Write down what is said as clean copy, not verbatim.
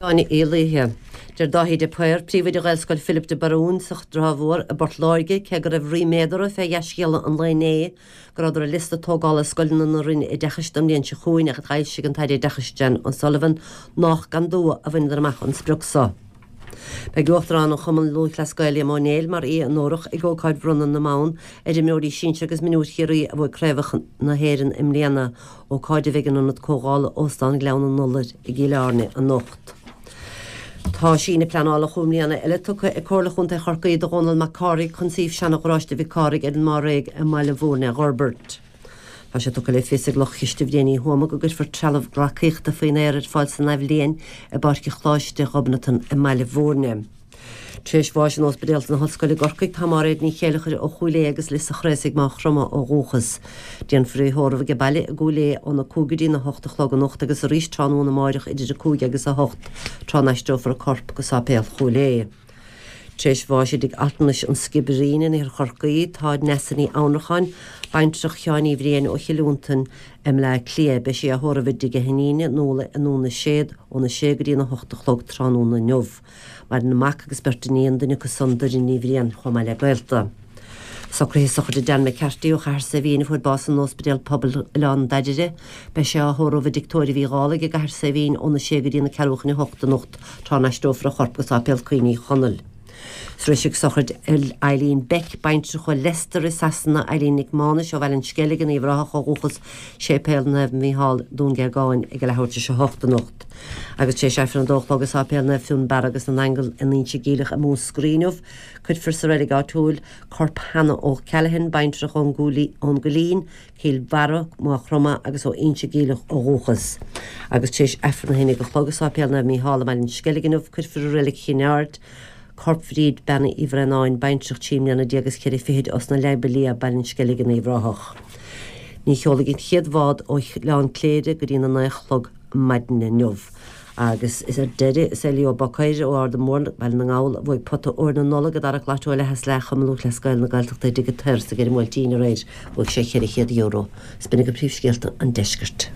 Áine Uí Laoithe. Deir Dáithí de Paor, príomhoide Ghaelscoil Philip de Barún sa Trá Mhór i bPort Láirge, cé go raibh ríméad orthu fé dhea-scéala an lae inné go rabhadar ar liosta tógála scoileanna na Roinne Oideachais don mbliain seo chugainn ach a d'fhoilsigh an tAire Oideachais Jan O'Sullivan nách gan dua a bhaineadar amach an sprioc so. Beidh Uachtarán an Chumann Lúthchleas Gael Liam Ó Néill mar aoi onórach ag ócáid bhronnadh na mbonn ar imreoirí sinsir agus mionúir Chiarraí a bhuaigh craobhacha na hÉireann i mbliana, ócáid a bheidh in Ionad Comhdhála Óstán Ghleann an Iolair i gCill Airne anocht. Tá síneadh pleanála chúig mbliana eile tugtha ag Comhairle Chontae Chorcaí do Dhónal Mac Cárthaigh chun suíomh seana-gharáiste Mhic Cárthaigh ar an mBáréag i mBaile Mhúirne a dh'fhorbairt. Tá sé tugtha le fios ag lucht Chiste Bhriain Uí Thuama go gcuirfear trealamh gleacaíochta faoin aer ar fáil san athbhliain i bPáirc Choláiste Ghobnatan i mBaile Mhúirne. Tar éis bháis in Ospidéal na hOllscoile i gCorcaigh tá Máiréad Ní Chéileachair ó Chúil Aodha agus Lios a' Chraosaigh, Maigh Chromtha ó dhúchas. Déanfar í a thórramh age baile i gCúil Aodha óna 5 go dtína 8 a chlog anocht agus arís tráthnóna amáireach idir 5 agus 8 tráth n-aistreofar a corp go Sáipéal Chúil Aodha. Tar éis bháis i dtigh altranais An Sciobairín in Iarthar Chorcaí, tá Neasa Ní Annracháin, baintreach Sheáin Uí Bhriain ó Chill Fhionntain i mBleá Cliath. Beidh sí á thórramh i dtigh a hiníne, Nuala i nDún na Séad, óna sé go dtína hocht a chlog tráthnóna inniu. Maireann a mac agus beirt iníon, duine acu san Doireann Ní Bhriain, chomh maith le gaolta. Socruithe sochraide Dan McCarthy ó Chathair Saidhbhín a fuair bás in Ospidéal Pobail Oileán Daidire. Beidh sé á thórramh i dtigh tórraimh Uí Dhálaigh i gCathair Saidhbhín óna sé go dtí na ceathrú chun a hocht anocht tráth n-aistreofar a chorp go Sáipéal Cuimhní Chonaill. Sroiseadh sochraid Eileen Beck, baintreach ó Leicester i Sasana, Eileen Nic Mánais ó Bhaile an Sceilg in Uíbh Ráthach ó dhúchas, Séipéal Naomh Mícheál, Dún Géagáin, ag a leathuair tar éis a hocht anocht. Agus tar éis Aifreann a dó a chlog i Sáipéal Naomh Fionnbarra agus na nAingeal in Inse Geimhleach i Múscraí inniu, Cuirfear sa reilig áitiúil corp Hannah O'Callaghan, baintreach ón gCoillín, Cill Bharra, Maigh Chromtha agus ó Inse Geimhleach ó dhúchas. Agus tar éis Aifreann a haon déag a chlog i Sáipéal Naomh Mícheál i mBaile an Sceilg inniu, cuirfear i Reilig Chinn Aird corp Bhríd Bean Uí Bhraonáin, baintreach 13 mbliana is ceithre fichid os na Leidhbe Liath, Baile an Sceilg in Uíbh Ráthach. Ní sheolfaidh an chéad bhád ó Oileán Cléire go dtína naoi a chlog maidin inniu. Agus is ar deireadh, is é Leo Bockaire ó Ard an Mhóir, Baile na nGall, a bhuaigh pota óir na Nollag i dtarrac Lotto leath is leath Chumann Lúthchleas Gael na Gaeltachta i dTigh an tSaoir sa gCeithre Bhuailtín aréir. Bhuaigh sé €400. Is b'in agaibh príomhscéalta an deiscirt.